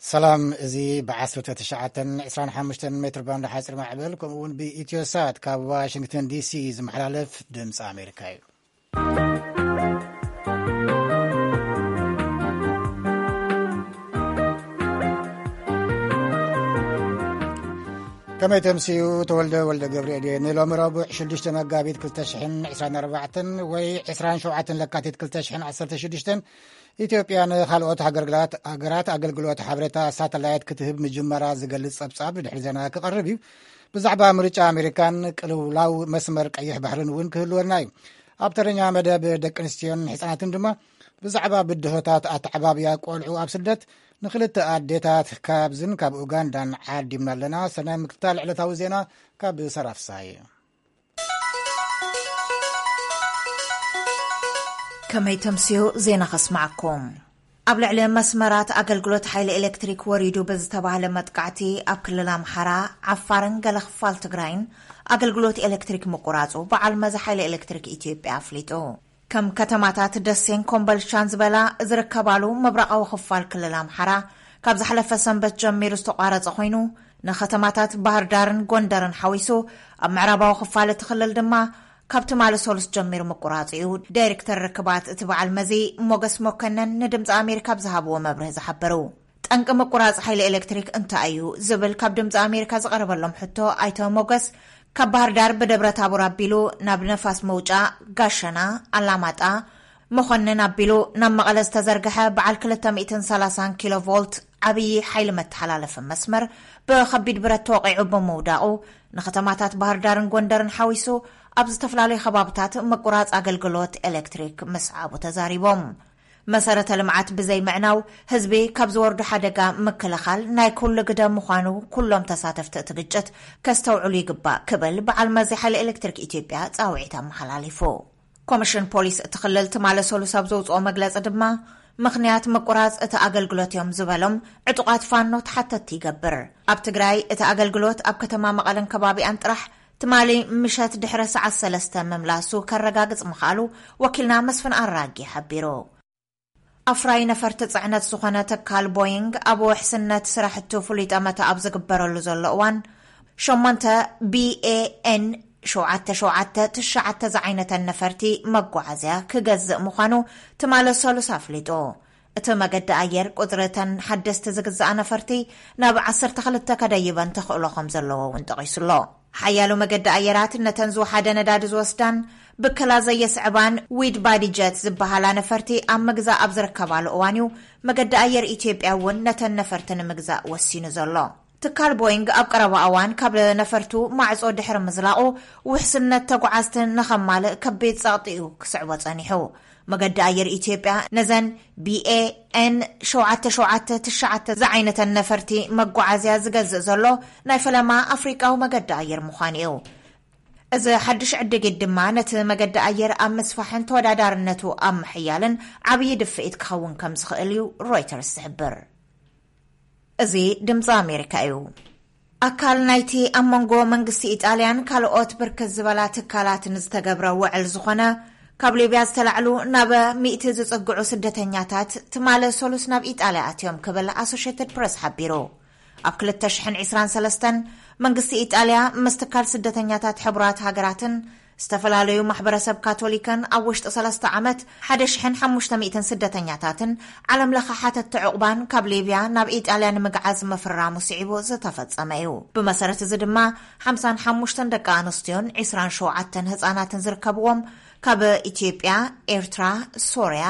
ሰላም፣ እዚ ብ19 25 ሜትር ባንድ ሓፂር ማዕበል፣ ከምኡ እውን ብኢትዮሳት ካብ ዋሽንግተን ዲሲ ዝመሓላለፍ ድምፂ ኣሜሪካ እዩ። ከመይ ተምስዩ? ተወልደ ወልደ ገብርኤል እየ። ንሎሚ ረቡዕ ሽዱሽተ መጋቢት ክልተ ሽሕን ዕስራን ኣርባዕተን ወይ ዕስራን ሸውዓተን ለካቲት ክልተ ሽሕን ዓሰርተ ሽዱሽተን፣ ኢትዮጵያ ንኻልኦት ሃገርግላት-፣ ሃገራት ኣገልግሎት ሓበሬታ ሳተላይት ክትህብ ምጅመራ ዝገልጽ ጸብጻብ ድሕሪ ዜና ክቐርብ እዩ። ብዛዕባ ምርጫ ኣሜሪካን ቅልውላው መስመር ቀይሕ ባሕርን እውን ክህልወና እዩ። ኣብ ተረኛ መደብ ደቂ ኣንስትዮን ህጻናትን ድማ ብዛዕባ ብድሆታት ኣተዓባብያ ቆልዑ ኣብ ስደት ንኽልተ ኣዴታት ካብዝን ካብ ኡጋንዳን ዓዲምና ኣለና። ሰናይ ምክትታል ዕለታዊ ዜና ካብ ሰራፍሳይ። ከመይ ተምስዩ ዜና ከስማዕኩም። ኣብ ልዕሊ መስመራት ኣገልግሎት ሓይሊ ኤሌክትሪክ ወሪዱ ብዝተባህለ መጥቃዕቲ ኣብ ክልል ኣምሓራ፣ ዓፋርን ገለ ክፋል ትግራይን ኣገልግሎት ኤሌክትሪክ ምቁራጹ በዓል መዚ ሓይሊ ኤሌክትሪክ ኢትዮጵያ ኣፍሊጡ። ከም ከተማታት ደሴን ኮምበልቻን ዝበላ ዝርከባሉ ምብራቓዊ ክፋል ክልል ኣምሓራ ካብ ዝሓለፈ ሰንበት ጀሚሩ ዝተቋረጸ ኮይኑ፣ ንከተማታት ባህር ዳርን ጎንደርን ሓዊሱ ኣብ ምዕራባዊ ክፋል እቲ ክልል ድማ ካብ ትማሊ ሰሉስ ጀሚሩ ምቁራጽ እዩ ዳይሬክተር ርክባት እቲ በዓል መዚ ሞገስ መኮነን ንድምፂ ኣሜሪካ ብዝሃብዎ መብርህ ዝሓበሩ። ጠንቂ ምቁራጽ ሓይሊ ኤሌክትሪክ እንታይ እዩ ዝብል ካብ ድምፂ ኣሜሪካ ዝቐረበሎም ሕቶ ኣይተ ሞገስ፣ ካብ ባህር ዳር ብደብረ ታቦር ኣቢሉ ናብ ነፋስ መውጫ ጋሸና፣ ኣላማጣ፣ መኾንን ኣቢሉ ናብ መቐለ ዝተዘርግሐ በዓል ክልተ ሚእትን ሰላሳን ኪሎ ቮልት ዓብዪ ሓይሊ መተሓላለፊ መስመር ብኸቢድ ብረት ተወቒዑ ብምውዳቑ ንከተማታት ባህር ዳርን ጎንደርን ሓዊሱ ኣብ ዝተፈላለዩ ከባብታት ምቁራጽ ኣገልግሎት ኤሌክትሪክ ምስዓቡ ተዛሪቦም። መሰረተ ልምዓት ብዘይምዕናው ህዝቢ ካብ ዝወርዱ ሓደጋ ምክልኻል ናይ ኩሉ ግደ ምዃኑ ኩሎም ተሳተፍቲ እቲ ግጭት ከስተውዕሉ ይግባእ ክብል በዓል መዚ ሓይሊ ኤሌክትሪክ ኢትዮጵያ ጻውዒት ኣመሓላሊፉ። ኮሚሽን ፖሊስ እቲ ክልል ትማሊ ሰሉስ ኣብ ዘውፅኦ መግለፂ ድማ ምኽንያት ምቁራፅ እቲ ኣገልግሎት እዮም ዝበሎም ዕጡቓት ፋኖ ተሓተትቲ ይገብር። ኣብ ትግራይ እቲ ኣገልግሎት ኣብ ከተማ መቐለን ከባቢኣን ጥራሕ ትማሊ ምሸት ድሕሪ ሰዓት ሰለስተ ምምላሱ ከረጋግፅ ምኽኣሉ ወኪልና መስፍን ኣራጊ ሓቢሩ። ኣፍራይ ነፈርቲ ጽዕነት ዝኾነ ትካል ቦይንግ ኣብ ውሕስነት ስራሕቱ ፍሉይ ጠመተ ኣብ ዝግበረሉ ዘሎ እዋን፣ ሸሞንተ ቢ ኤ ኤን ሸውዓተ ሸውዓተ ትሽዓተ ዝዓይነተን ነፈርቲ መጓዓዝያ ክገዝእ ምዃኑ ትማሊ ሰሉስ ኣፍሊጡ። እቲ መገዲ ኣየር ቁጽሪ እተን ሓደስቲ ዝግዝኣ ነፈርቲ ናብ ዓሰርተ ክልተ ከደይበን ተኽእሎ ከም ዘለዎ እውን ጠቒሱ ኣሎ። ሓያሎ መገዲ ኣየራት ነተን ዝወሓደ ነዳዲ ዝወስዳን ብከላ ዘየስዕባን ዊድ ባዲ ጀት ዝበሃላ ነፈርቲ ኣብ ምግዛእ ኣብ ዝርከባሉ እዋን እዩ መገዲ ኣየር ኢትዮጵያ እውን ነተን ነፈርቲ ንምግዛእ ወሲኑ ዘሎ። ትካል ቦይንግ ኣብ ቀረባ እዋን ካብ ነፈርቱ ማዕጾ ድሕሪ ምዝላቑ ውሕስነት ተጓዓዝቲ ንኸማልእ ከቢድ ጸቕጢ እዩ ክስዕቦ ጸኒሑ። መገዲ ኣየር ኢትዮጵያ ነዘን ቢ ኤ ኤን ሸውዓተ ሸውዓተ ትሽዓተ ዝዓይነተን ነፈርቲ መጓዓዝያ ዝገዝእ ዘሎ ናይ ፈለማ ኣፍሪቃዊ መገዲ ኣየር ምዃኑ እዩ። እዚ ሓድሽ ዕድጊት ድማ ነቲ መገዲ ኣየር ኣብ ምስፋሕን ተወዳዳርነቱ ኣብ ምሕያልን ዓብዪ ድፍኢት ክኸውን ከም ዝኽእል እዩ ሮይተርስ ዝሕብር። እዚ ድምፂ ኣሜሪካ እዩ። ኣካል ናይቲ ኣብ መንጎ መንግስቲ ኢጣልያን ካልኦት ብርክት ዝበላ ትካላትን ዝተገብረ ውዕል ዝኾነ ካብ ሊብያ ዝተላዕሉ ናብ ሚእቲ ዝጽግዑ ስደተኛታት ትማሊ ሰሉስ ናብ ኢጣልያ ኣትዮም ክብል ኣሶሼትድ ፕረስ ሓቢሩ። ኣብ ክልተ ሽሕን ዕስራን ሰለስተን መንግስቲ ኢጣልያ ምስ ትካል ስደተኛታት ሕቡራት ሃገራትን ዝተፈላለዩ ማሕበረሰብ ካቶሊክን ኣብ ውሽጢ ሰለስተ ዓመት ሓደ ሽሕን ሓሙሽተ ሚእትን ስደተኛታትን ዓለም ለኸ ሓተትቲ ዕቑባን ካብ ሊብያ ናብ ኢጣልያ ንምግዓዝ ምፍራሙ ስዒቡ ዝተፈጸመ እዩ። ብመሰረት እዚ ድማ ሓምሳን ሓሙሽተን ደቂ ኣንስትዮን ዕስራን ሸውዓተን ህጻናትን ዝርከብዎም ካብ ኢትዮጵያ፣ ኤርትራ፣ ሶርያ፣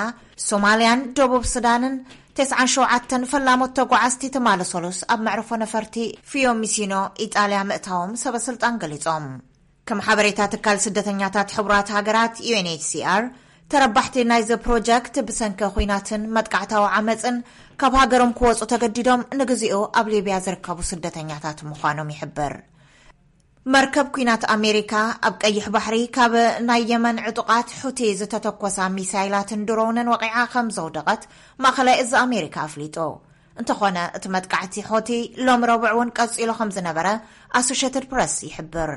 ሶማልያን ደቡብ ሱዳንን ተስዓን ሸውዓተን ፈላሞት ተጓዓዝቲ ትማሊ ሰሉስ ኣብ መዕርፎ ነፈርቲ ፊዮሚሲኖ ኢጣልያ ምእታዎም ሰበ ስልጣን ገሊጾም። ከም ሓበሬታ ትካል ስደተኛታት ሕቡራት ሃገራት ዩ ኤን ኤች ሲ ኣር፣ ተረባሕቲ ናይዚ ፕሮጀክት ብሰንኪ ኹናትን መጥቃዕታዊ ዓመፅን ካብ ሃገሮም ክወፁ ተገዲዶም ንግዚኡ ኣብ ሊብያ ዝርከቡ ስደተኛታት ምዃኖም ይሕብር። መርከብ ኲናት ኣሜሪካ ኣብ ቀይሕ ባሕሪ ካብ ናይ የመን ዕጡቓት ሑቲ ዝተተኮሳ ሚሳይላትን ድሮንን ወቒዓ ከም ዘውደቐት ማእኸላይ እዚ ኣሜሪካ ኣፍሊጡ። እንተኾነ እቲ መጥቃዕቲ ሑቲ ሎም ረቡዕ እውን ቀፂሉ ከም ዝነበረ ኣሶሼትድ ፕረስ ይሕብር።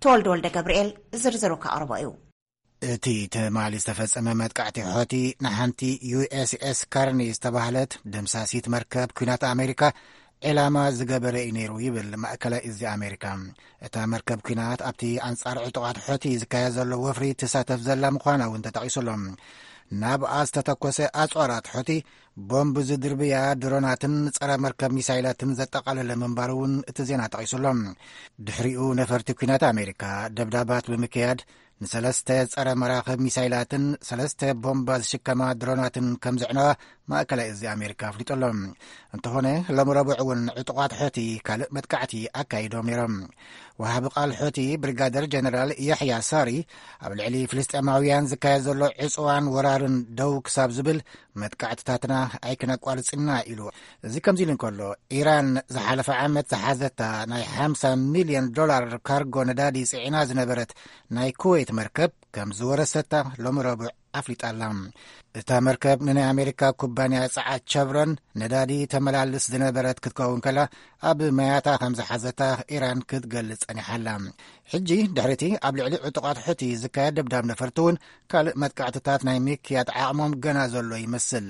ተወልደ ወልደ ገብርኤል ዝርዝሩ ከቕርቦ እዩ። እቲ ትማሊ ዝተፈጸመ መጥቃዕቲ ሖቲ ንሓንቲ ዩ ኤስ ኤስ ካርኒ ዝተባህለት ደምሳሲት መርከብ ኲናት ኣሜሪካ ዕላማ ዝገበረ እዩ ነይሩ ይብል ማእከላይ እዚ ኣሜሪካ። እታ መርከብ ኲናት ኣብቲ ኣንጻር ዕጡቓት ሖቲ ዝካየድ ዘሎ ወፍሪ ትሳተፍ ዘላ ምዃና እውን ተጠቒሱ ኣሎ። ናብኣ ዝተተኮሰ ኣጽዋራት ሖቲ ቦምብ ዝድርብያ ድሮናትን ጸረ መርከብ ሚሳይላትን ዘጠቓለለ ምንባሩ እውን እቲ ዜና ጠቒሱ ኣሎ። ድሕሪኡ ነፈርቲ ኲናት ኣሜሪካ ደብዳባት ብምክያድ ንሰለስተ ጸረ መራኽብ ሚሳይላትን ሰለስተ ቦምባ ዝሽከማ ድሮናትን ከም ዘዕነዋ ማእከላይ እዚ ኣሜሪካ ኣፍሊጡ ኣሎ። እንተኾነ ሎም ረቡዕ እውን ዕጡቓት ሖቲ ካልእ መጥቃዕቲ ኣካይዶም ነይሮም። ወሃቢ ቃል ሖቲ ብሪጋደር ጀነራል ያሕያ ሳሪ ኣብ ልዕሊ ፍልስጤማውያን ዝካየድ ዘሎ ዕጽዋን ወራርን ደው ክሳብ ዝብል መጥቃዕትታትና ኣይክነቋርጽና ኢሉ። እዚ ከምዚ ኢሉ እንከሎ፣ ኢራን ዝሓለፈ ዓመት ዝሓዘታ ናይ ሓምሳ ሚልዮን ዶላር ካርጎ ነዳዲ ጽዒና ዝነበረት ናይ ኩዌት መርከብ ከም ዝወረሰታ ሎም ረቡዕ ኣፍሊጣ ኣላ። እታ መርከብ ንናይ ኣሜሪካ ኩባንያ ጸዓት ቸቭረን ነዳዲ ተመላልስ ዝነበረት ክትከውን ከላ፣ ኣብ መያታ ከም ዝሓዘታ ኢራን ክትገልጽ ጸኒሓ ኣላ። ሕጂ ድሕሪቲ ኣብ ልዕሊ ዕጡቓት ሑቲ ዝካየድ ደብዳብ ነፈርቲ እውን ካልእ መጥቃዕትታት ናይ ምክያድ ዓቕሞም ገና ዘሎ ይመስል።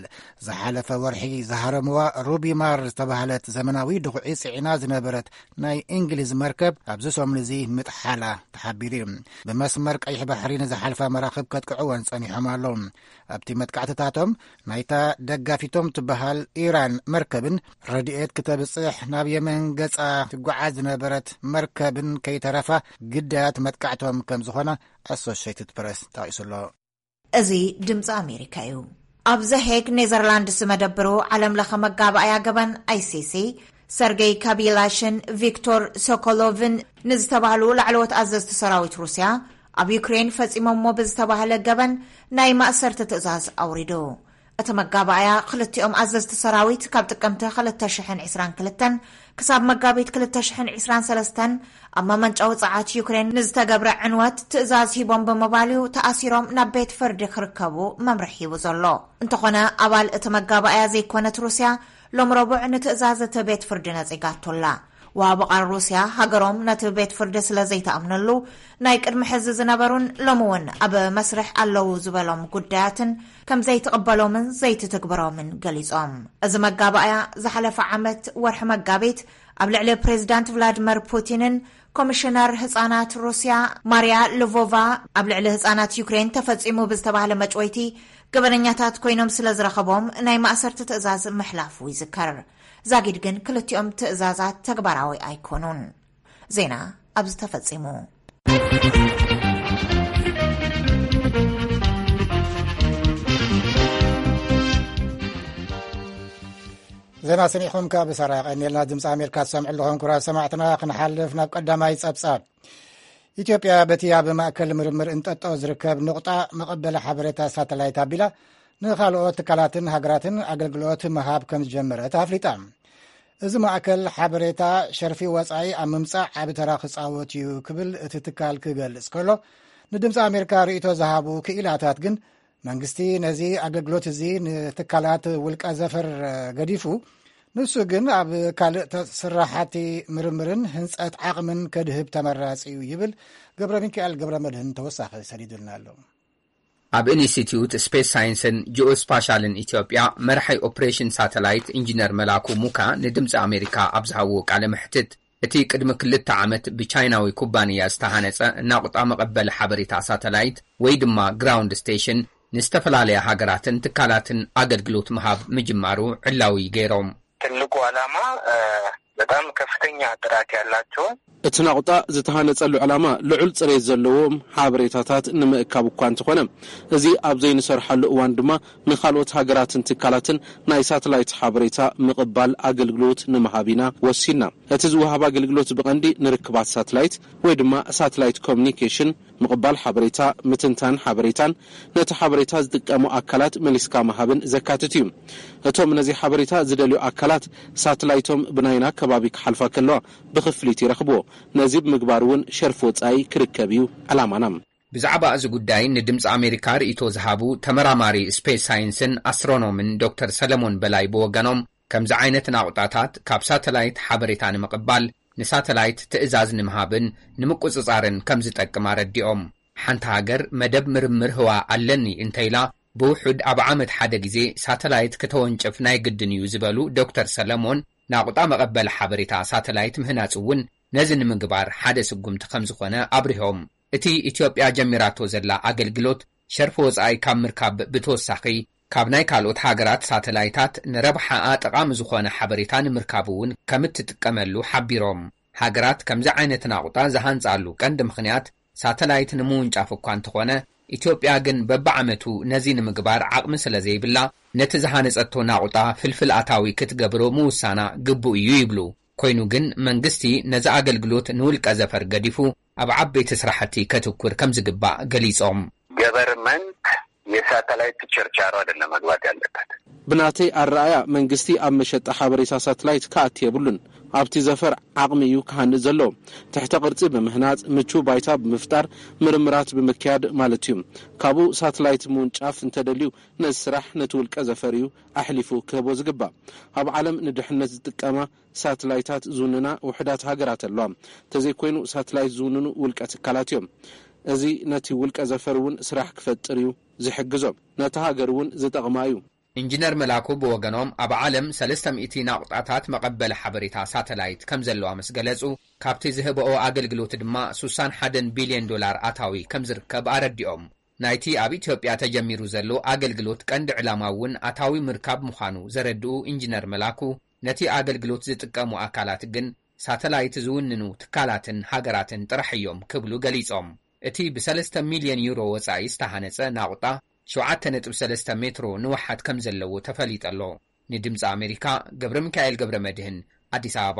ዝሓለፈ ወርሒ ዝሃረምዋ ሩቢማር ዝተባህለት ዘመናዊ ድኹዒ ጽዒና ዝነበረት ናይ እንግሊዝ መርከብ ኣብዚ ሰሙን እዚ ምጥሓላ ተሓቢሩ እዩ። ብመስመር ቀይሕ ባሕሪ ንዝሓልፋ መራኽብ ከጥቅዕወን ጸኒሖም ኣለዉ። ኣብቲ መጥቃዕትታቶም ናይታ ደጋፊቶም ትበሃል ኢራን መርከብን ረድኤት ክተብጽሕ ናብ የመን ገጻ ትጓዓዝ ዝነበረት መርከብን ከይተረፋ ግዳያት መጥቃዕቶም ከም ዝኾነ ኣሶሽየትድ ፕረስ ጠቒሱ ኣሎ። እዚ ድምፂ ኣሜሪካ እዩ። ኣብ ዘሄግ ኔዘርላንድስ መደብሩ ዓለም ለኸ መጋባእያ ገበን ኣይሲሲ ሰርጌይ ካቢላሽን ቪክቶር ሶኮሎቭን ንዝተባህሉ ላዕለዎት ኣዘዝቲ ሰራዊት ሩስያ ኣብ ዩክሬን ፈጺሞሞ ብዝተባህለ ገበን ናይ ማእሰርቲ ትእዛዝ ኣውሪዱ። እቲ መጋባእያ ክልቲኦም ኣዘዝቲ ሰራዊት ካብ ጥቅምቲ ክልተ ሽሕን ዕስራን ክልተን ክሳብ መጋቢት ክልተ ሽሕን ዕስራን ሰለስተን ኣብ መመንጨዊ ጸዓት ዩክሬን ንዝተገብረ ዕንወት ትእዛዝ ሂቦም ብምባል እዩ ተኣሲሮም ናብ ቤት ፍርዲ ክርከቡ መምርሒ ሂቡ ዘሎ። እንተኾነ ኣባል እቲ መጋባእያ ዘይኮነት ሩስያ ሎም ረቡዕ ንትእዛዝ እቲ ቤት ፍርዲ ነጺጋቶላ። ወሃቢ ቃል ሩስያ ሃገሮም ነቲ ቤት ፍርዲ ስለ ዘይተኣምነሉ ናይ ቅድሚ ሕዚ ዝነበሩን ሎሚ እውን ኣብ መስርሕ ኣለዉ ዝበሎም ጉዳያትን ከም ዘይትቕበሎምን ዘይትትግብሮምን ገሊጾም። እዚ መጋባእያ ዝሓለፈ ዓመት ወርሒ መጋቢት ኣብ ልዕሊ ፕሬዚዳንት ቭላድመር ፑቲንን ኮሚሽነር ህጻናት ሩስያ ማርያ ልቮቫ ኣብ ልዕሊ ህጻናት ዩክሬን ተፈጺሙ ብዝተባህለ መጭወይቲ ገበነኛታት ኮይኖም ስለ ዝረኸቦም ናይ ማእሰርቲ ትእዛዝ ምሕላፉ ይዝከር። ዛጊድ ግን ክልቲኦም ትእዛዛት ተግባራዊ ኣይኮኑን። ዜና ኣብዚ ተፈጺሙ። ዜና ሰሚዕኹም ካብ ሳራ ቀኒልና ድምፂ ኣሜሪካ ትሰምዑ ኣለኹም። ክቡራት ሰማዕትና፣ ክንሓልፍ ናብ ቀዳማይ ጸብጻብ። ኢትዮጵያ በቲ ኣብ ማእከል ምርምር እንጠጦ ዝርከብ ንቑጣ መቐበሊ ሓበሬታ ሳተላይት ኣቢላ ንኻልኦት ትካላትን ሃገራትን ኣገልግሎት ምሃብ ከም ዝጀመረት ኣፍሊጣ። እዚ ማእከል ሓበሬታ ሸርፊ ወጻኢ ኣብ ምምጻእ ዓቢ ተራ ክጻወት እዩ ክብል እቲ ትካል ክገልጽ ከሎ፣ ንድምፂ ኣሜሪካ ርእይቶ ዝሃቡ ክኢላታት ግን መንግስቲ ነዚ ኣገልግሎት እዚ ንትካላት ውልቀ ዘፈር ገዲፉ፣ ንሱ ግን ኣብ ካልእ ተ-፣ ስራሓቲ ምርምርን ህንጸት ዓቕምን ከድህብ ተመራጺ እዩ ይብል። ገብረ ሚካኤል ገብረ መድህን ተወሳኺ ሰዲዱልና ኣሎ። ኣብ ኢንስቲትዩት ስፔስ ሳይንስን ጂኦስፓሻልን ኢትዮጵያ መራሒ ኦፕሬሽን ሳተላይት ኢንጂነር መላኩ ሙካ ንድምፂ ኣሜሪካ ኣብ ዝሃብዎ ቃለ መሕትት፣ እቲ ቅድሚ ክልተ ዓመት ብቻይናዊ ኩባንያ ዝተሃነጸ ናቑጣ መቐበሊ ሓበሬታ ሳተላይት ወይ ድማ ግራውንድ ስቴሽን ንዝተፈላለያ ሃገራትን ትካላትን ኣገልግሎት ምሃብ ምጅማሩ ዕላዊ ገይሮም። ትልቁ ዓላማ፣ እ፣ በጣም ከፍተኛ ጥራት ያላቸውን እቲ ናቑጣ ዝተሃነጸሉ ዕላማ ልዑል ጽሬት ዘለዎም ሓበሬታታት ንምእካብ እኳ እንተኾነ፣ እዚ ኣብ ዘይንሰርሓሉ እዋን ድማ ንኻልኦት ሃገራትን ትካላትን ናይ ሳተላይት ሓበሬታ ምቕባል ኣገልግሎት ንምሃብ ኢና ወሲንና። እቲ ዝወሃብ ኣገልግሎት ብቐንዲ ንርክባት ሳተላይት ወይ ድማ ሳተላይት ኮሚኒኬሽን፣ ምቕባል ሓበሬታ፣ ምትንታን ሓበሬታን ነቲ ሓበሬታ ዝጥቀሙ ኣካላት መሊስካ ምሃብን ዘካትት እዩ። እቶም ነዚ ሓበሬታ ዝደልዩ ኣካላት ሳተላይቶም ብናይና ከባቢ ክሓልፋ ከለዋ ብኽፍሊት ይረኽብዎ። ነዚ ብምግባር እውን ሸርፊ ወጻኢ ክርከብ እዩ ዕላማና። ብዛዕባ እዚ ጉዳይ ንድምፂ ኣሜሪካ ርእይቶ ዝሃቡ ተመራማሪ ስፔስ ሳይንስን ኣስትሮኖምን ዶክተር ሰለሞን በላይ ብወገኖም፣ ከምዚ ዓይነት ናቑጣታት ካብ ሳተላይት ሓበሬታ ንምቕባል፣ ንሳተላይት ትእዛዝ ንምሃብን ንምቁጽጻርን ከም ዝጠቅም ኣረዲኦም። ሓንቲ ሃገር መደብ ምርምር ህዋ ኣለኒ እንተኢላ፣ ብውሑድ ኣብ ዓመት ሓደ ግዜ ሳተላይት ከተወንጨፍ ናይ ግድን እዩ ዝበሉ ዶክተር ሰለሞን፣ ናቑጣ መቐበል ሓበሬታ ሳተላይት ምህናጽ እውን ነዚ ንምግባር ሓደ ስጉምቲ ከም ዝኾነ ኣብሪሆም። እቲ ኢትዮጵያ ጀሚራቶ ዘላ ኣገልግሎት ሸርፊ ወጻኢ ካብ ምርካብ ብተወሳኺ፣ ካብ ናይ ካልኦት ሃገራት ሳተላይታት ንረብሓኣ ጠቓሚ ዝኾነ ሓበሬታ ንምርካብ እውን ከም እትጥቀመሉ ሓቢሮም። ሃገራት ከምዚ ዓይነት ናቑጣ ዝሃንጻሉ ቀንዲ ምኽንያት፣ ሳተላይት ንምውንጫፍ እኳ እንተኾነ፣ ኢትዮጵያ ግን በብዓመቱ ነዚ ንምግባር ዓቕሚ ስለ ዘይብላ፣ ነቲ ዝሃነጸቶ ናቑጣ ፍልፍል ኣታዊ ክትገብሮ ምውሳና ግቡእ እዩ ይብሉ። ኮይኑ ግን መንግስቲ ነዚ ኣገልግሎት ንውልቀ ዘፈር ገዲፉ ኣብ ዓበይቲ ስራሕቲ ከትኩር ከም ዝግባእ ገሊጾም። ገቨርንመንት የሳተላይት ችርቻሮ አይደለም መግባት ያለበት። ብናተይ ኣረኣያ መንግስቲ ኣብ መሸጣ ሓበሬታ ሳተላይት ክኣቲ የብሉን። ኣብቲ ዘፈር ዓቕሚ እዩ ክሃንእ ዘለዎ። ትሕተ ቅርጺ ብምህናጽ፣ ምቹው ባይታ ብምፍጣር፣ ምርምራት ብምክያድ ማለት እዩ። ካብኡ ሳተላይት ምውንጫፍ እንተደልዩ ነዚ ስራሕ ነቲ ውልቀ ዘፈር እዩ ኣሕሊፉ ክህቦ ዝግባእ። ኣብ ዓለም ንድሕነት ዝጥቀማ ሳትላይታት ዝውንና ውሑዳት ሃገራት ኣለዋ። እንተዘይኮይኑ ሳትላይት ዝውንኑ ውልቀ ትካላት እዮም። እዚ ነቲ ውልቀ ዘፈር እውን ስራሕ ክፈጥር እዩ ዝሕግዞ፣ ነታ ሃገር እውን ዝጠቕማ እዩ። ኢንጂነር መላኩ ብወገኖም፣ ኣብ ዓለም ሰለስተ ሚእቲ ናቑጣታት መቐበሊ ሓበሬታ ሳተላይት ከም ዘለዋ ምስ ገለጹ፣ ካብቲ ዝህብኦ ኣገልግሎት ድማ ሱሳን ሓደን ቢልዮን ዶላር ኣታዊ ከም ዝርከብ ኣረዲኦም። ናይቲ ኣብ ኢትዮጵያ ተጀሚሩ ዘሎ ኣገልግሎት ቀንዲ ዕላማ እውን ኣታዊ ምርካብ ምዃኑ ዘረድኡ ኢንጂነር መላኩ፣ ነቲ ኣገልግሎት ዝጥቀሙ ኣካላት ግን ሳተላይት ዝውንኑ ትካላትን ሃገራትን ጥራሕ እዮም ክብሉ ገሊጾም። እቲ ብ ሰለስተ ሚልዮን ዩሮ ወጻኢ ዝተሃነጸ ናቑጣ ሸውዓተ ነጥቢ ሰለስተ ሜትሮ ንውሓት ከም ዘለዎ ተፈሊጡ ኣሎ። ንድምጺ ኣሜሪካ ገብረ ሚካኤል ገብረ መድህን፣ ኣዲስ ኣበባ።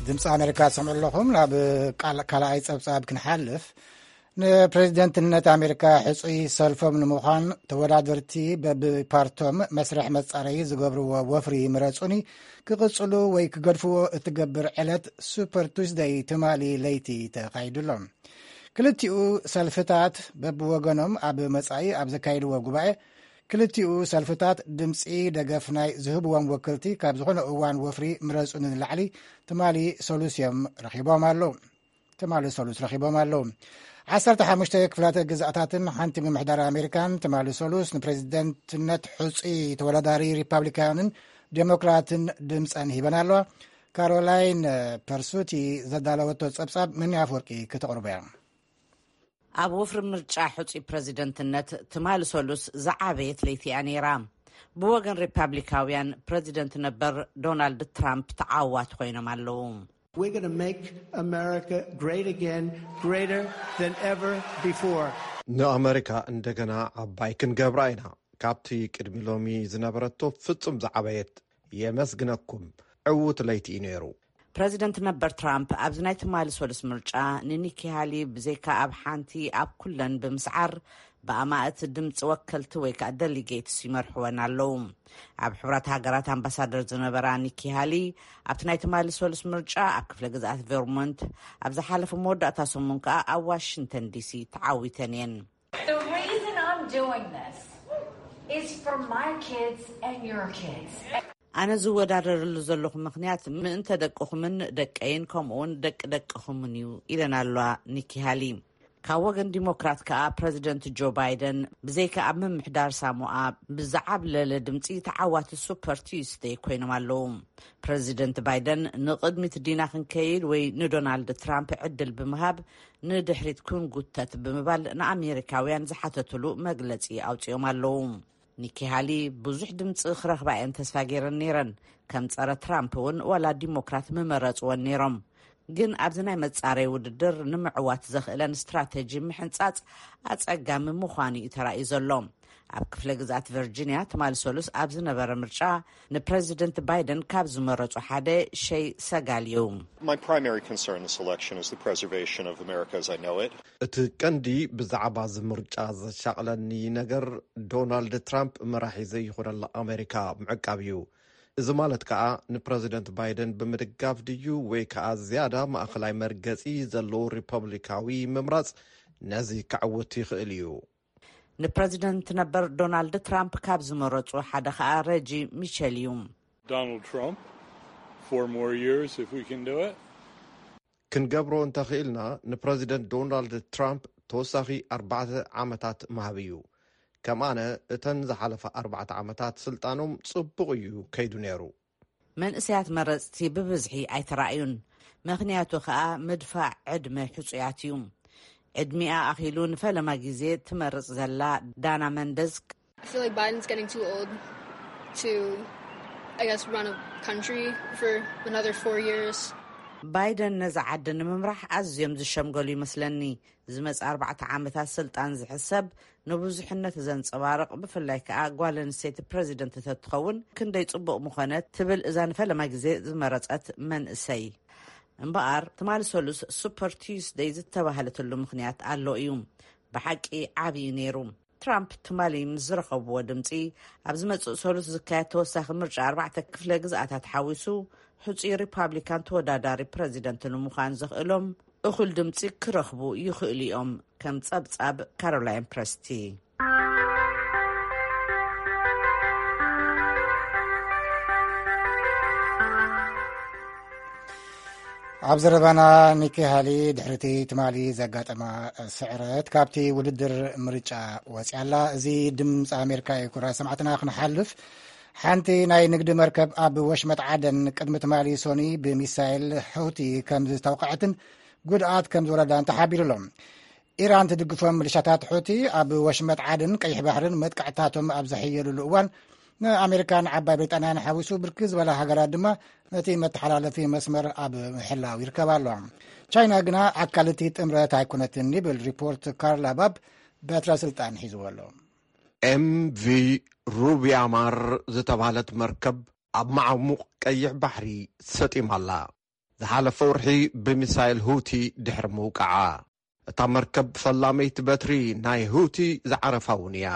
ድምፂ ኣሜሪካ ትሰምዑ ኣለኹም። ናብ ቃል-፣ ካልኣይ ጸብጻብ ክንሓልፍ፣ ንፕሬዚደንትነት ኣሜሪካ ሕፁይ ሰልፎም ንምዃን ተወዳደርቲ በብፓርቶም መስርሕ መጻረዪ ዝገብርዎ ወፍሪ ምረጹኒ ክቕጽሉ ወይ ክገድፍዎ እትገብር ዕለት ሱፐር ቱስደይ ትማሊ ለይቲ ተኻይዱ ኣሎ። ክልቲኡ ሰልፍታት በብወገኖም ኣብ መጻኢ ኣብ ዘካይድዎ ጉባኤ፣ ክልቲኡ ሰልፍታት ድምጺ ደገፍ ናይ ዝህብዎም ወክልቲ ካብ ዝኾነ እዋን ወፍሪ ምረጹኒ ንላዕሊ ትማሊ ሰሉስ እዮም ረኺቦም ኣለዉ። ትማሊ ሰሉስ ረኺቦም ኣለዉ። ዓሰርተ ሓሙሽተ ክፍላተ ግዝኣታትን ሓንቲ ምምሕዳር ኣሜሪካን ትማሊ ሰሉስ ንፕሬዚደንትነት ሕጹይ ተወዳዳሪ ሪፓብሊካንን ዴሞክራትን ድምጸን ሂበን ኣለዋ። ካሮላይን ፐርሱቲ ዘዳለወቶ ጸብጻብ መኒ ኣፍወርቂ ከተቕርቦ እያ። ኣብ ወፍሪ ምርጫ ሕጹይ ፕረዚደንትነት ትማሊ ሰሉስ ዝዓበየት ለይቲ እያ ነይራ። ብወገን ሪፓብሊካውያን ፕረዚደንት ነበር ዶናልድ ትራምፕ ተዓዋቲ ኮይኖም ኣለዉ። We're going to make America great again, greater than ever before. ንኣመሪካ እንደገና ዓባይ ክንገብራ ኢና። ካብቲ ቅድሚ ሎሚ ዝነበረቶ ፍጹም ዝዓበየት። የመስግነኩም። ዕዉት ለይቲ እዩ ነይሩ። ፕረዚደንት ነበር ትራምፕ ኣብዚ ናይ ትማሊ ሰሉስ ምርጫ ንኒኪ ሃሊ ብዘይካ ኣብ ሓንቲ ኣብ ኩለን ብምስዓር ብኣማእት ድምፂ ወከልቲ ወይ ከዓ ደሊጌትስ ይመርሕወን ኣለዉ። ኣብ ሕቡራት ሃገራት ኣምባሳደር ዝነበራ ኒኪ ሃሊ ኣብቲ ናይ ትማሊ ሰሉስ ምርጫ ኣብ ክፍለ ግዝኣት ቨርሞንት፣ ኣብ ዝሓለፈ መወዳእታ ሰሙን ከዓ ኣብ ዋሽንግተን ዲሲ ተዓዊተን እየን። The reason I'm doing this is for my kids and your kids. ኣነ ዝወዳደረሉ ዘለኹ ምኽንያት ምእንተ ደቅኹምን ደቀይን ከምኡውን ደቂ ደቅኹምን እዩ ኢለን ኣለዋ ኒኪ ሃሊ። ካብ ወገን ዲሞክራት ከኣ ፕረዚደንት ጆ ባይደን ብዘይካ ኣብ ምምሕዳር ሳሞኣ ብዝዓብለለ ድምፂ ተዓዋቲ ሱፐር ቲዩስደይ ኮይኖም ኣለዉ። ፕረዚደንት ባይደን ንቕድሚት ዲና ክንከይድ ወይ ንዶናልድ ትራምፕ ዕድል ብምሃብ ንድሕሪት ክንጉተት ብምባል ንኣሜሪካውያን ዝሓተትሉ መግለፂ ኣውፂኦም ኣለዉ። ኒኪ ሃሊ ብዙሕ ድምፂ ክረኽባ እየን ተስፋ ገይረን ነይረን። ከም ጸረ ትራምፕ እውን ዋላ ዲሞክራት ምመረፅወን ነይሮም። ግን ኣብዚ ናይ መጻረይ ውድድር ንምዕዋት ዘኽእለን ስትራተጂ ምሕንጻጽ ኣጸጋሚ ምዃኑ እዩ ተራእዩ ዘሎ። ኣብ ክፍለ ግዝኣት ቨርጂንያ ትማሊ ሰሉስ ኣብ ዝነበረ ምርጫ ንፕረዚደንት ባይደን ካብ ዝመረጹ ሓደ ሸይ ሰጋል እዩ። My primary concern in this election is the preservation of America as I know it. እቲ ቀንዲ ብዛዕባ እዚ ምርጫ ዘሻቕለኒ ነገር ዶናልድ ትራምፕ መራሒ ዘይኾነላ ኣሜሪካ ምዕቃብ እዩ። እዚ ማለት ከኣ ንፕረዚደንት ባይደን ብምድጋፍ ድዩ ወይ ከኣ ዝያዳ ማእኸላይ መርገጺ ዘለዎ ሪፐብሊካዊ ምምራጽ ነዚ ከዕውት ይኽእል እዩ። ንፕረዚደንት ነበር ዶናልድ ትራምፕ ካብ ዝመረጹ ሓደ ከኣ ረጂ ሚቸል እዩ። Donald Trump, four more years if we can do it. ክንገብሮ እንተኽኢልና ንፕረዚደንት ዶናልድ ትራምፕ ተወሳኺ ኣርባዕተ ዓመታት ምሃብ እዩ። ከም ኣነ እተን ዝሓለፋ ኣርባዕተ ዓመታት ስልጣኖም ጽቡቕ እዩ ከይዱ ነይሩ። መንእሰያት መረጽቲ ብብዝሒ ኣይተራእዩን። ምኽንያቱ ከኣ ምድፋዕ ዕድመ ሕጹያት እዩ። ዕድሚኣ ኣኺሉ ንፈለማ ግዜ ትመርጽ ዘላ ዳና መንደዝ I feel like Biden's getting too old to, I guess, run a country for another four years. ባይደን ነዛ ዓዲ ንምምራሕ ኣዝዮም ዝሸምገሉ ይመስለኒ። ዝመጽእ ኣርባዕተ ዓመታት ስልጣን ዝሕሰብ ንብዙሕነት ዘንጸባርቕ፣ ብፍላይ ከኣ ጓል ኣንስተይቲ ፕረዚደንት ተትኸውን ክንደይ ጽቡቕ ምኾነ ትብል እዛ ንፈለማ ግዜ ዝመረጸት መንእሰይ። እምበኣር ትማሊ ሰሉስ ሱፐር ቲዩስደይ ዝተባህለትሉ ምኽንያት ኣሎ እዩ። ብሓቂ ዓብዪ ነይሩ። ትራምፕ ትማሊ ምስ ዝረኸብዎ ድምፂ ኣብ ዝመፅእ ሰሉስ ዝካየድ ተወሳኺ ምርጫ ኣርባዕተ ክፍለ ግዝኣታት ሓዊሱ ሕፁይ ሪፓብሊካን ተወዳዳሪ ፕረዚደንት ንምዃን ዘኽእሎም እኹል ድምፂ ክረኽቡ ይኽእሉ እዮም። ከም ፀብፃብ ካሮላይን ፕረስቲ። ኣብ ዘረባና ኒኪ ሃሊ ድሕሪቲ ትማሊ ዘጋጠማ ስዕረት ካብቲ ውድድር ምርጫ ወፅያ ኣላ። እዚ ድምፂ ኣሜሪካ እዩ። ኩራ ሰማዕትና ክንሓልፍ ሓንቲ ናይ ንግዲ መርከብ ኣብ ወሽመጥ ዓደን ቅድሚ ትማሊ ሶኒ ብሚሳይል ሕውቲ ከም ዝተውቀዐትን ጉድኣት ከም ዝወረዳን ተሓቢሩ ኣሎ። ኢራን ትድግፎም ምልሻታት ሑቲ ኣብ ወሽመጥ ዓድን ቀይሕ ባሕርን መጥቃዕትታቶም ኣብ ዘሕየሉሉ እዋን ንኣሜሪካን ዓባይ ብሪጣንያን ሓዊሱ ብርክት ዝበላ ሃገራት ድማ ነቲ መተሓላለፊ መስመር ኣብ ምሕላው ይርከባ ኣለዋ። ቻይና ግና ኣካል እቲ ጥምረት ኣይኮነትን ይብል ሪፖርት ካርላ ባብ በትረ ስልጣን ሒዝዎ ኣሎ። ኤምቪ ሩቢያማር ዝተባህለት መርከብ ኣብ መዓሙቕ ቀይሕ ባሕሪ ሰጢማ ኣላ። ዝሓለፈ ወርሒ ብሚሳይል ሁቲ ድሕሪ ምውቃዓ እታ መርከብ ፈላመይቲ በትሪ ናይ ሁቲ ዝዓረፋ እውን እያ።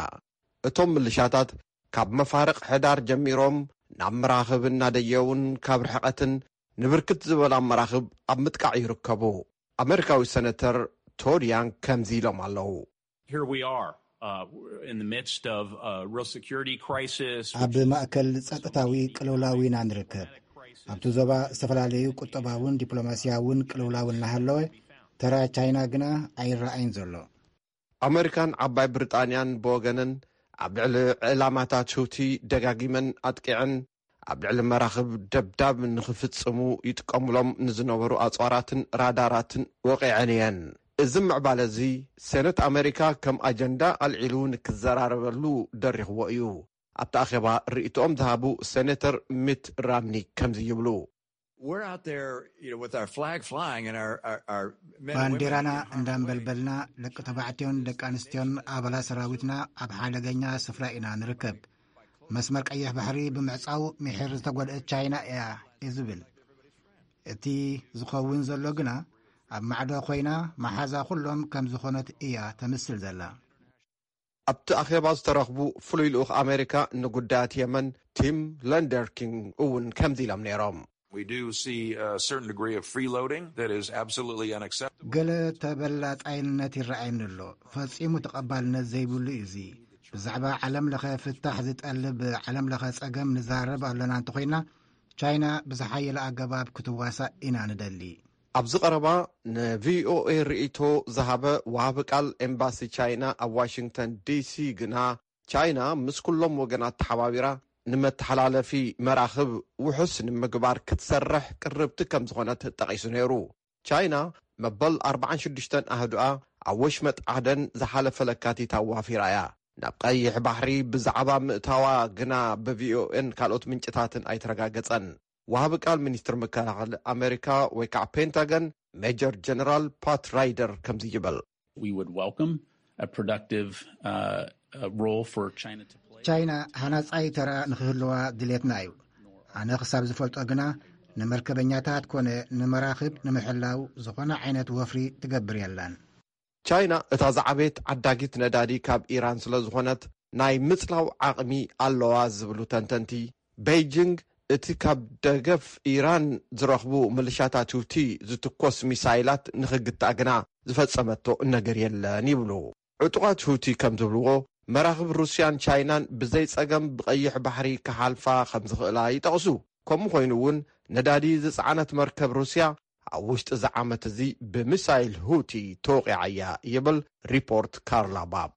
እቶም ምልሻታት ካብ መፋርቕ ሕዳር ጀሚሮም ናብ መራኽብ እናደየውን ካብ ርሕቐትን ንብርክት ዝበላ መራኽብ ኣብ ምጥቃዕ ይርከቡ። ኣሜሪካዊ ሰነተር ቶድ ያንግ ከምዚ ኢሎም ኣለዉ። Here we are uh, in the midst of a real security crisis. ኣብ ማእከል ጸጥታዊ ቅልውላው ኢና ንርከብ። ኣብቲ ዞባ ዝተፈላለዩ ቁጠባውን ዲፕሎማስያውን ቅልውላው እናሃለወ ተራ ቻይና ግና ኣይረኣይን ዘሎ። ኣመሪካን ዓባይ ብሪጣንያን ብወገነን ኣብ ልዕሊ ዕላማታት ሁቲ ደጋጊመን ኣጥቂዐን ኣብ ልዕሊ መራኽብ ደብዳብ ንኽፍጽሙ ይጥቀሙሎም ንዝነበሩ ኣጽዋራትን ራዳራትን ወቒዐን እየን። እዚ ምዕባለ እዚ ሴነት ኣመሪካ ከም ኣጀንዳ ኣልዒሉ ንክዘራረበሉ ደሪኽዎ እዩ። ኣብቲ ኣኼባ ርእይቶኦም ዝሃቡ ሴኔተር ሚት ራምኒ ከምዚ ይብሉ። We're out there, you know, with our flag flying and our, our, our men and women ባንዴራና being harmed እንዳንበልበልና ደቂ ተባዕትዮን ደቂ ኣንስትዮን ኣባላት ሰራዊትና ኣብ ሓደገኛ ስፍራ ኢና ንርከብ። መስመር ቀይሕ ባሕሪ ብምዕጻው ምሒር ዝተጎድአት ቻይና እያ እዩ ዝብል። እቲ ዝኸውን ዘሎ ግና ኣብ ማዕዶ ኮይና መሓዛ ኩሎም ከም ዝኾነት እያ ተምስል ዘላ። ኣብቲ ኣኼባ ዝተረኽቡ ፍሉይ ልኡኽ ኣሜሪካ ንጉዳያት የመን ቲም ለንደርኪንግ እውን ከምዚ ኢሎም ነይሮም። We do see a certain degree of freeloading that is absolutely unacceptable. ገለ ተበላጻይነት ይረኣየኒ ኣሎ። ፈጺሙ ተቐባልነት ዘይብሉ እዩ እዚ። ብዛዕባ ዓለም ለኸ ፍታሕ ዝጠልብ ዓለም ለኸ ጸገም ንዛረብ ኣሎና እንተኾይና ቻይና ብዝሓየለ ኣገባብ ክትዋሳእ ኢና ንደሊ። ኣብዚ ቀረባ ንቪኦኤ ርእይቶ ዝሃበ ወሃቢ ቃል ኤምባሲ ቻይና ኣብ ዋሽንግተን ዲሲ ግና ቻይና ምስ ኩሎም ወገናት ተሓባቢራ ንመተሓላለፊ መራኽብ ውሑስ ንምግባር ክትሰርሕ ቅርብቲ ከም ዝኾነት ጠቒሱ ነይሩ። ቻይና መበል ኣርባዓን ሽዱሽተን ኣህዱኣ ኣብ ወሽመጥ ዓደን ዝሓለፈ ለካቲት ኣዋፊራ እያ። ናብ ቀይሕ ባሕሪ ብዛዕባ ምእታዋ ግና ብቪኦኤን ካልኦት ምንጭታትን ኣይተረጋገጸን። ወሃቢ ቃል ሚኒስትር መከላኸሊ ኣሜሪካ ወይ ከዓ ፔንታገን ሜጀር ጀነራል ፓት ራይደር ከምዚ ይብል። We would welcome a productive uh, uh, role for China to play. ቻይና ሃናጻይ ተራ ንክህልዋ ድሌትና እዩ። ኣነ ክሳብ ዝፈልጦ ግና ንመርከበኛታት ኮነ ንመራኽብ ንምሕላው ዝኾነ ዓይነት ወፍሪ ትገብር የላን። ቻይና እታ ዝዓበየት ዓዳጊት ነዳዲ ካብ ኢራን ስለ ዝኾነት ናይ ምጽላው ዓቕሚ ኣለዋ ዝብሉ ተንተንቲ፣ ቤይጂንግ እቲ ካብ ደገፍ ኢራን ዝረኽቡ ምልሻታት ሁቲ ዝትኮስ ሚሳይላት ንኽግታእ ግና ዝፈጸመቶ ነገር የለን ይብሉ። ዕጡቓት ሁቲ ከም ዝብልዎ መራኽብ ሩስያን ቻይናን ብዘይ ጸገም ብቐይሕ ባሕሪ ክሓልፋ ከም ዝኽእላ ይጠቕሱ። ከምኡ ኮይኑ እውን ነዳዲ ዝጸዓነት መርከብ ሩስያ ኣብ ውሽጢ እዚ ዓመት እዚ ብሚሳይል ሁቲ ተወቒዓ እያ ይብል ሪፖርት ካርላ ባብ።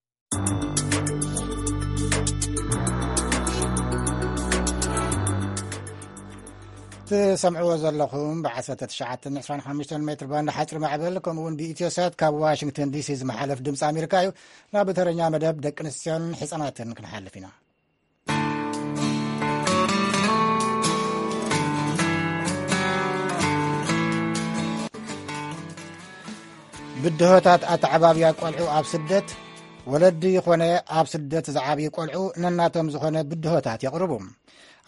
ትሰምዕዎ ዘለኹም ብ19 25 ሜትር ባንድ ሓፂር ማዕበል ከምኡ እውን ብኢትዮሳት ካብ ዋሽንግተን ዲሲ ዝመሓለፍ ድምፂ ኣሜሪካ እዩ። ናብ ተረኛ መደብ ደቂ ኣንስትዮን ህፃናትን ክንሓልፍ ኢና። ብድሆታት ኣተዓባብያ ቆልዑ ኣብ ስደት። ወለዲ ይኾነ ኣብ ስደት ዝዓብዩ ቆልዑ ነናቶም ዝኾነ ብድሆታት የቕርቡ።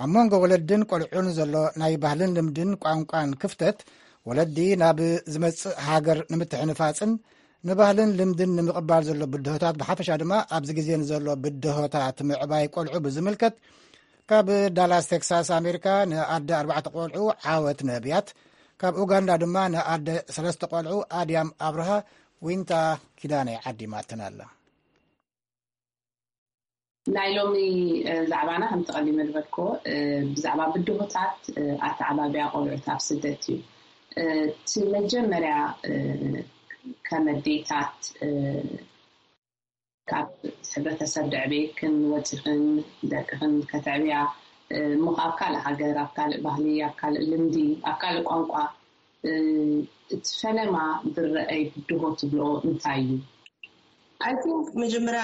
ኣብ መንጎ ወለድን ቆልዑን ዘሎ ናይ ባህልን ልምድን ቋንቋን ክፍተት፣ ወለዲ ናብ ዝመጽእ ሃገር ንምትሕንፋጽን ንባህልን ልምድን ንምቕባል ዘሎ ብድሆታት፣ ብሓፈሻ ድማ ኣብዚ ግዜ ንዘሎ ብድሆታት ምዕባይ ቆልዑ ብዝምልከት፣ ካብ ዳላስ ቴክሳስ ኣሜሪካ ንኣደ ኣርባዕተ ቆልዑ ዓወት ነብያት፣ ካብ ኡጋንዳ ድማ ንኣደ ሰለስተ ቆልዑ ኣድያም ኣብርሃ ዊንታ ኪዳነ ዓዲማትና ኣላ። ናይ ሎሚ ዛዕባና ከምቲ ቀዲመ ዝበልክዎ ብዛዕባ ብድሆታት ኣተዓባብያ ቆልዑት ኣብ ስደት እዩ። እቲ መጀመርያ ከም ኣዴታት ካብ ሕብረተሰብ ደዕቤክን ወፂኽን ደቅኽን ከተዕብያ እሞ ኣብ ካልእ ሃገር፣ ኣብ ካልእ ባህሊ፣ ኣብ ካልእ ልምዲ፣ ኣብ ካልእ ቋንቋ እቲ ፈለማ ዝረኣይ ብድሆ ትብልኦ እንታይ እዩ? I think መጀመርያ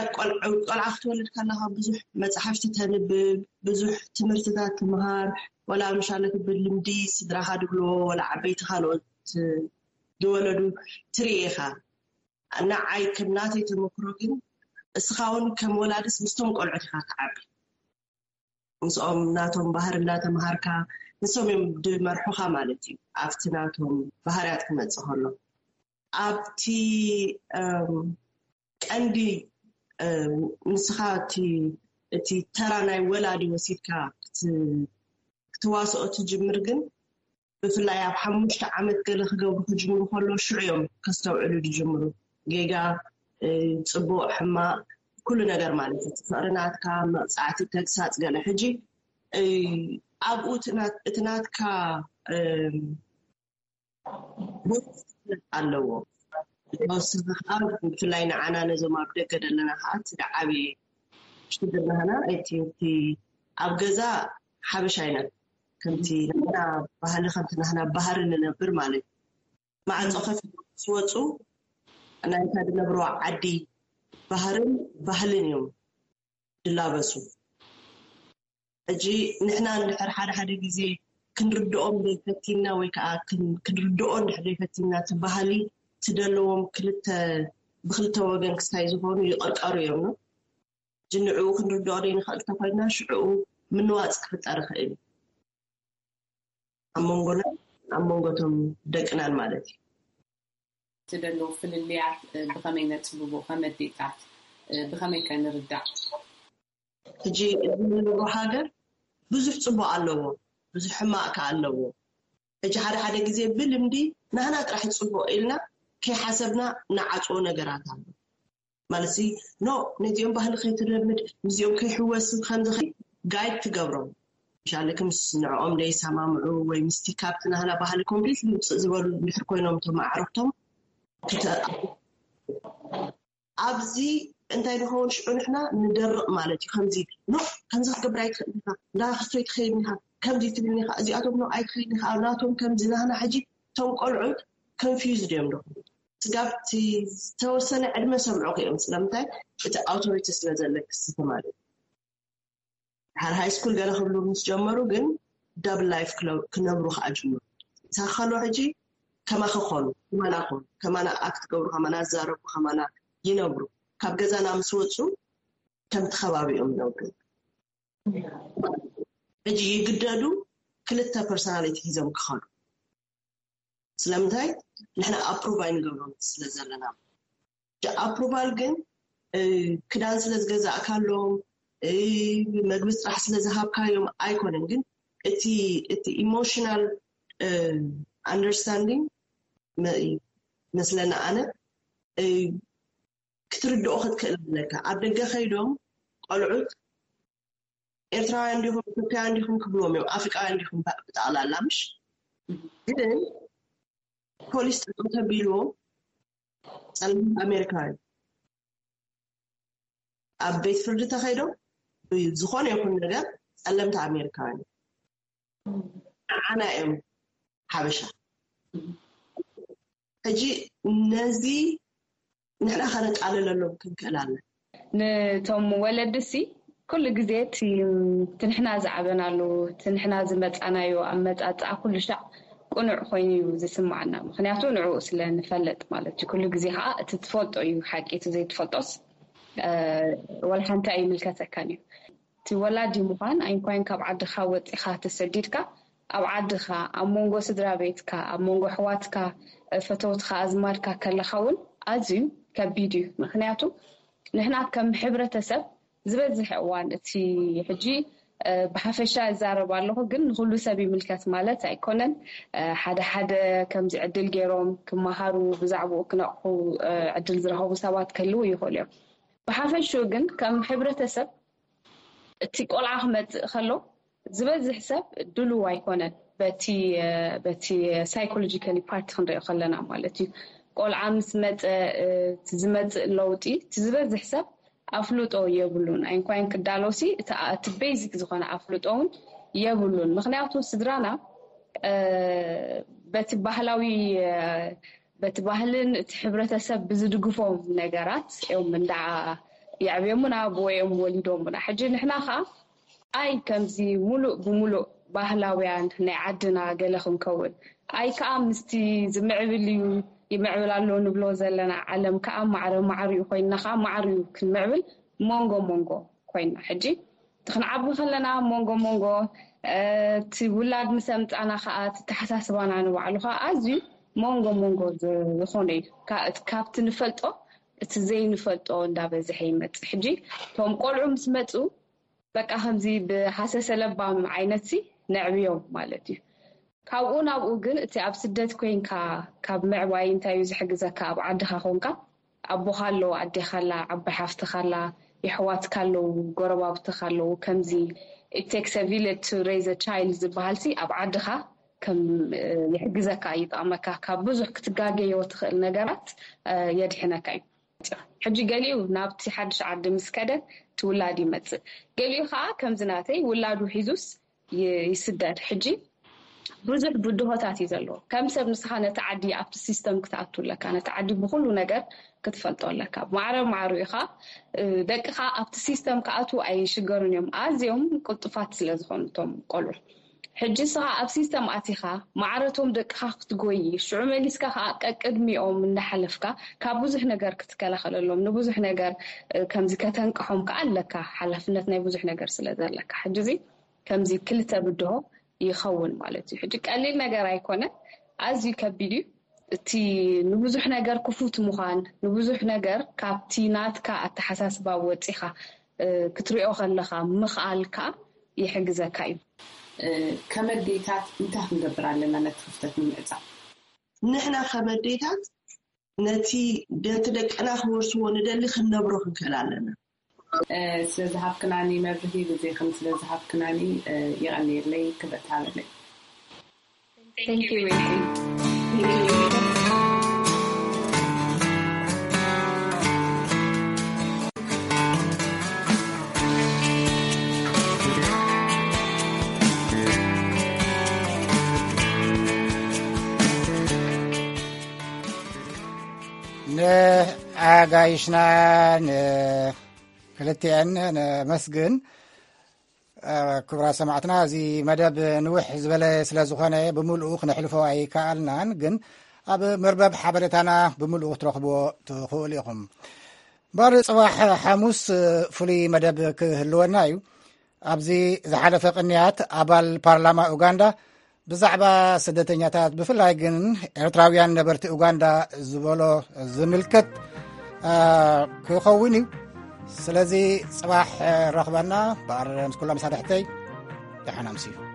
ቆልዓ ክትወልድ ከለኻ ብዙሕ መፅሓፍቲ ተንብብ፣ ብዙሕ ትምህርትታት ትምሃር፣ ወላ ምሻለ ክብል ልምዲ ስድራኻ ድብልዎ ወላ ዓበይቲ ካልኦት ዝወለዱ ትርኢ ኢኻ። ንዓይ ከም ናተይ ተመክሮ ግን እስኻ እውን ከም ወላድስ ምስቶም ቆልዑት ኢኻ ትዓቢ። ምስኦም ናቶም ባህሪ እንዳተምሃርካ ንሶም እዮም ድመርሑኻ ማለት እዩ። ኣብቲ ናቶም ባህርያት ክመፅእ ከሎ ኣብቲ ቀንዲ ንስኻ እቲ ተራ ናይ ወላዲ ወሲድካ ክትዋስኦ ትጅምር ግን ብፍላይ ኣብ ሓሙሽተ ዓመት ገለ ክገብሩ ክጅምሩ ከሎ ሽዑ እዮም ከስተውዕሉ ዝጅምሩ። ጌጋ፣ ፅቡቕ፣ ሕማቕ፣ ኩሉ ነገር ማለት እዩ። ፍቕሪ ናትካ፣ መቕፃዕቲ፣ ተግሳፅ ገለ። ሕጂ ኣብኡ እቲ ናትካ ኣለዎ። ብፍላይ ንዓና ነዞም ኣብ ደገ ዘለና ከዓ እቲ ዓብዪ ሽግር ናህና እቲ ኣብ ገዛ ሓበሻ ኣይነት ከምቲ ናህና ባህሊ ከምቲ ናህና ባህሪ ንነብር ማለት እዩ። ማዕፆ ከፊ ዝወፁ ናይታ ዝነብርዋ ዓዲ ባህርን ባህልን እዮም ዝላበሱ። ሕጂ ንሕና እንድሕር ሓደ ሓደ ግዜ ክንርድኦም ዘይፈቲና ወይ ከዓ ክንርድኦ እንድሕር ዘይፈቲና እቲ ባህሊ እቲ ዘለዎም ክልተ ብክልተ ወገን ክስታይ ዝኾኑ ይቕርቀሩ እዮም ነው። ሕጂ ንዕኡ ክንርድኦ ዘይንኽእል እንተኮይና ሽዕኡ ምንዋፅ ክፍጠር ይኽእል እዩ። ኣብ መንጎና ኣብ መንጎቶም ደቅናን ማለት እዩ። እቲ ዘለዎ ፍልልያት ብኸመይ ነፅብቦ ከም ኣዴታት ብኸመይ ከ ንርዳእ? ሕጂ እዚ ንነብሮ ሃገር ብዙሕ ፅቡቅ ኣለዎ፣ ብዙሕ ሕማቅ ከ ኣለዎ። ሕጂ ሓደ ሓደ ግዜ ብልምዲ ናህና ጥራሕ ፅቡቅ ኢልና ከይሓሰብና ንዓፅዎ ነገራት ኣሎ። ማለት ሲ ኖ ነዚኦም ባህሊ ከይትለምድ ምስዚኦም ከይሕወስ ከምዚ ከ ጋይድ ትገብሮም። ምሻለኪ ምስ ንዕኦም ደይሰማምዑ ወይ ምስቲ ካብቲ ናህና ባህሊ ኮምፕሊትሊ ውፅእ ዝበሉ እንድሕር ኮይኖም እቶም ኣዕርኽቶም ክተ- ኣብዚ እንታይ ንኸውን ሽዑ ንሕና ንደርቕ ማለት እዩ። ከምዚ ኖ ከምዚ ክትገብር ኣይትኽእል ኢኻ፣ እንዳ ክስቶይ ትኸይድ ኢኻ፣ ከምዚ ትብል ኢኻ፣ እዚኣቶም ኖ ኣይትኸይድ ኢኻ፣ ናቶም ከምዚ ናህና ሕጂ እቶም ቆልዑት ኮንፊውዝድ እዮም ደኹ ስጋብ እቲ ዝተወሰነ ዕድመ ሰምዑ እዮም። ስለምንታይ እቲ ኣውቶሪቲ ስለ ዘለክ ስቲ ማለት እዩ። ድሓር ሃይ ስኩል ገለ ክብሉ ምስ ጀመሩ ግን ዳብል ላይፍ ክነብሩ ከዓ ጅምሩ። ሳኸሎ ሕጂ ከማኺ ኮኑ፣ ከማና ኮኑ፣ ከማና ኣክት ገብሩ፣ ከማና ዛረቡ፣ ከማና ይነብሩ። ካብ ገዛና ምስ ወፁ ከምቲ ከባቢኦም ይነብሩ። ሕጂ ይግደዱ ክልተ ፐርሶናሊቲ ሒዞም ክኸዱ። ስለምንታይ ንሕና ኣፕሩቭ ኣይንገብሮም ስለ ዘለና። ኣፕሩቫል ግን ክዳን ስለ ዝገዛእካሎም መግቢ ስራሕ ስለ ዝሃብካዮም ኣይኮነን። ግን እቲ እቲ ኢሞሽናል ኣንደርስታንዲንግ መስለና ኣነ ክትርድኦ ክትክእል ኣለካ። ኣብ ደገ ከይዶም ቆልዑት ኤርትራውያን እንዲኹም፣ ኢትዮጵያውያን እንዲኹም ክብልዎም እዮም፣ ኣፍሪቃውያን እንዲኹም፣ ብጠቕላላ። ምሽ ግን ፖሊስ ጠጠው ተቢልዎ ጸለምቲ ኣሜሪካውያን ኣብ ቤት ፍርዲ ተኸይዶም ዝኾነ ይኹን ነገር ጸለምቲ ኣሜሪካውያን ንዓና እዮም ሓበሻ። ሕጂ ነዚ ንሕና ከነቃልለሎም ክንክእል ኣለና። ንቶም ወለዲ ሲ ኩሉ ግዜ እቲ ንሕና ዝዓበናሉ፣ እቲ ንሕና ዝመፃናዮ ኣመፃፅኣ ኩሉ ሻዕ ቅኑዕ ኮይኑ እዩ ዝስማዓና። ምክንያቱ ንዕኡ ስለ ንፈልጥ ማለት እዩ። ኩሉ ግዜ ከዓ እቲ ትፈልጦ እዩ ሓቂ፣ እቲ ዘይትፈልጦስ ወላ ሓንቲ ኣይምልከተካን እዩ። እቲ ወላዲ ምዃን ኣይንኳይን ካብ ዓድኻ ወፂኻ ተሰዲድካ ኣብ ዓድኻ ኣብ መንጎ ስድራ ቤትካ ኣብ መንጎ ኣሕዋትካ ፈተውትኻ ኣዝማድካ ከለኻ እውን ኣዝዩ ከቢድ እዩ። ምክንያቱ ንሕና ከም ሕብረተሰብ ዝበዝሕ እዋን እቲ ሕጂ ብሓፈሻ እዛረብ ኣለኹ፣ ግን ንኩሉ ሰብ ይምልከት ማለት ኣይኮነን። ሓደ ሓደ ከምዚ ዕድል ገይሮም ክመሃሩ ብዛዕባኡ ክነቕሑ ዕድል ዝረኸቡ ሰባት ክህልው ይኽእሉ እዮም። ብሓፈሽኡ ግን ከም ሕብረተሰብ እቲ ቆልዓ ክመፅእ ከሎ ዝበዝሕ ሰብ ድሉው ኣይኮነን። በቲ በቲ ሳይኮሎጂካሊ ፓርቲ ክንሪኦ ከለና ማለት እዩ። ቆልዓ ምስ መፀ እቲ ዝመፅእ ለውጢ እቲ ዝበዝሕ ሰብ ኣፍልጦ የብሉን። ኣይንኳይን ክዳሎሲ እቲ ቤዚክ ዝኾነ ኣፍልጦ እውን የብሉን። ምክንያቱ ስድራና በቲ ባህላዊ በቲ ባህልን እቲ ሕብረተሰብ ብዝድግፎም ነገራት እዮም እንዳ የዕብዮምና ብወዮም ወሊዶምና። ሕጂ ንሕና ከዓ ኣይ ከምዚ ሙሉእ ብሙሉእ ባህላውያን ናይ ዓድና ገለ ክንከውን ኣይ ከዓ ምስቲ ዝምዕብል እዩ ይምዕብል ኣሎ ንብሎ ዘለና ዓለም ከዓ ማዕረ ማዕሪኡ ኮይንና ከዓ ማዕሪኡ ክንምዕብል መንጎ መንጎ ኮይንና ሕጂ እቲ ክንዓቢ ከለና መንጎ መንጎ እቲ ውላድ ምስ ኣምፃና ከዓ እቲ ተሓሳስባና ንባዕሉ ከዓ ኣዝዩ መንጎ መንጎ ዝኾነ እዩ። ካብቲ ንፈልጦ እቲ ዘይንፈልጦ እንዳበዝሐ ይመፅእ። ሕጂ እቶም ቆልዑ ምስ መፁ በቃ ከምዚ ብሃሰሰ ለባም ዓይነት ሲ ነዕብዮም ማለት እዩ። ካብኡ ናብኡ ግን እቲ ኣብ ስደት ኮይንካ ካብ ምዕባይ እንታይ እዩ ዝሕግዘካ? ኣብ ዓድኻ ኮንካ ኣቦኻ ኣሎ፣ ኣዴኻ ኣላ፣ ዓባይ ሓፍትኻ ኣላ፣ የሕዋትካ ኣለዉ፣ ጎረባብትኻ ኣለዉ። ከምዚ it takes a village to raise a child ዝበሃል ሲ ኣብ ዓድኻ ከም ይሕግዘካ ይጠቕመካ። ካብ ብዙሕ ክትጋገዮ ትኽእል ነገራት የድሕነካ እዩ። ሕጂ ገሊኡ ናብቲ ሓድሽ ዓዲ ምስ ከደ እቲ ውላድ ይመፅእ፣ ገሊኡ ከዓ ከምዚ ናተይ ውላዱ ሒዙስ ይስደድ። ሕጂ ብዙሕ ብድሆታት እዩ ዘለዎ። ከም ሰብ ንስኻ ነቲ ዓዲ ኣብቲ ሲስተም ክትኣቱ ኣለካ፣ ነቲ ዓዲ ብኩሉ ነገር ክትፈልጦ ኣለካ። ማዕረ ማዕሩ ኢኻ ደቅኻ ኣብቲ ሲስተም ክኣትዉ ኣይሽገሩን እዮም፣ ኣዝዮም ቅልጡፋት ስለ ዝኾኑ እቶም ቆልዑ። ሕጂ ንስኻ ኣብ ሲስተም ኣቲኻ ማዕረቶም ደቅኻ ክትጎይ፣ ሽዑ መሊስካ ከዓ ቀቅድሚኦም እንዳሓለፍካ ካብ ብዙሕ ነገር ክትከላኸለሎም፣ ንብዙሕ ነገር ከምዚ ከተንቅሖም ከዓ ኣለካ፣ ሓላፍነት ናይ ብዙሕ ነገር ስለ ዘለካ። ሕጂ እዚ ከምዚ ክልተ ብድሆ ይኸውን ማለት እዩ። ሕጂ ቀሊል ነገር ኣይኮነን፣ ኣዝዩ ከቢድ እዩ። እቲ ንብዙሕ ነገር ክፉት ምዃን፣ ንብዙሕ ነገር ካብቲ ናትካ ኣተሓሳስባ ወፂኻ ክትሪኦ ከለኻ ምኽኣል ከዓ ይሕግዘካ እዩ። ከም ኣዴታት እንታይ ክንገብር ኣለና ነቲ ክፍተት ንምዕፃ? ንሕና ከም ኣዴታት ነቲ ነቲ ደቅና ክወርስዎ ንደሊ ክንነብሮ ክንክእል ኣለና። ስለዝሃብክናኒ መብርሂ ግዜኽን ስለዝሃብክናኒ የቐንየለይ ክብረት ሃበለይ። Thank you, Wendy. ንኣጋይሽና ንክልቲአን ነመስግን። ክቡራት ሰማዕትና፣ እዚ መደብ ንውሕ ዝበለ ስለ ዝኾነ ብምልኡ ክነሕልፎ ኣይከኣልናን፣ ግን ኣብ መርበብ ሓበሬታና ብምልኡ ክትረኽብዎ ትኽእሉ ኢኹም። እምበር ጽባሕ ሓሙስ ፍሉይ መደብ ክህልወና እዩ። ኣብዚ ዝሓለፈ ቅንያት ኣባል ፓርላማ ኡጋንዳ ብዛዕባ ስደተኛታት ብፍላይ ግን ኤርትራውያን ነበርቲ ኡጋንዳ ዝበሎ ዝምልከት ክኸውን እዩ። ስለዚ ጽባሕ ረኽበና። በኣር ምስ ኩሎም መሳርሕተይ ደሓን ኣምስዩ።